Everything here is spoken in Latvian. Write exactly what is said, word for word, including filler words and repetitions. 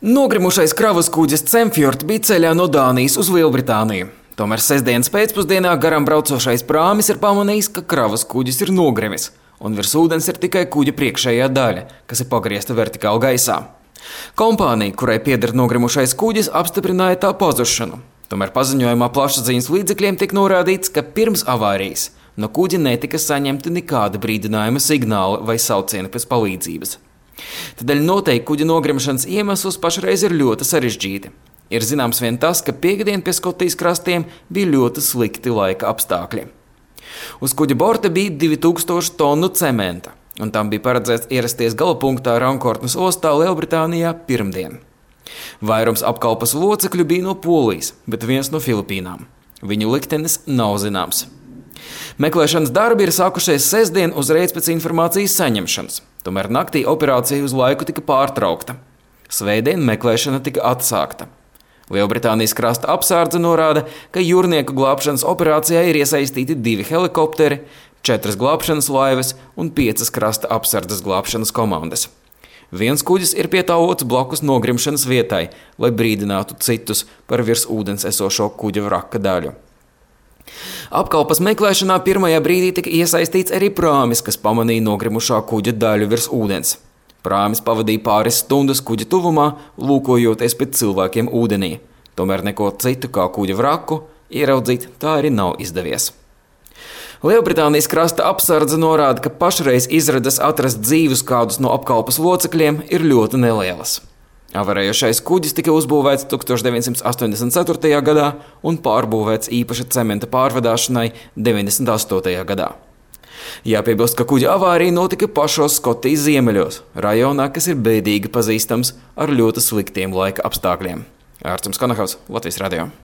Nogrimušais kravas kuģis Cemfjord bija ceļā no Dānijas uz Lielbritāniju. Tomēr sestdienas pēcpusdienā garām braucošais prāmis ir pamanījis, ka kravas kuģis ir nogrimis, un virs ūdens ir tikai kuģa priekšējā daļa, kas ir pagriezta vertikāli gaisā. Kompānija, kurai pieder nogrimušais kuģis, apstiprināja tā pazušanu. Tomēr paziņojumā plašsaziņas līdzekļiem tika norādīts, ka pirms avārijas no kuģa netika saņemti nekāda brīdinājuma signāli vai saucieni pēc palīdzības. Tādēļ noteikti kuģa nogrimšanas iemesls pašreiz ir ļoti sarežģīti. Ir zināms vien tas, ka piekdien pie Skotijas krastiem bija ļoti slikti laika apstākļi. Uz kuģa borta bija divi tūkstoši tonu cementa, un tam bija paredzēts ierasties galapunktā Rankortnes ostā Lielbritānijā pirmdien. Vairums apkalpes locekļu bija no Polijas, bet viens no Filipīnām. Viņu liktenis nav zināms. Meklēšanas darbi ir sākušies sestdien uzreiz pēc informācijas saņemšanas. Tomēr naktī operācija uz laiku tika pārtraukta. Svētdien meklēšana tika atsākta. Lielbritānijas krasta apsardze norāda, ka jūrnieku glābšanas operācijā ir iesaistīti divi helikopteri, četras glābšanas laivas un piecas krasta apsardzes glābšanas komandas. Viens kuģis ir pietāvots blakus nogrimšanas vietai, lai brīdinātu citus par virs ūdens esošo kuģa vraka daļu. Apkalpes meklēšanā pirmajā brīdī tika iesaistīts arī prāmis, kas pamanīja nogrimušā kuģa daļu virs ūdens. Prāmis pavadīja pāris stundas kuģa tuvumā, lūkojoties pēc cilvēkiem ūdenī. Tomēr neko citu kā kuģa vraku ieraudzīt tā arī nav izdevies. Lielbritānijas krasta apsardze norāda, ka pašreiz izredzes atrast dzīvus kādus no apkalpes locekļiem ir ļoti nelielas. Avarējošais kuģis tika uzbūvēts tūkstoš deviņsimt astoņdesmit ceturtajā gadā un pārbūvēts īpaši cementa pārvadāšanai deviņdesmit astotajā gadā. Jāpiebilst, ka kuģa avārija notika pašos Skotijas ziemeļos, rajonā, kas ir bēdīgi pazīstams ar ļoti sliktiem laika apstākļiem. Ārtsums Konahaus, Latvijas radio.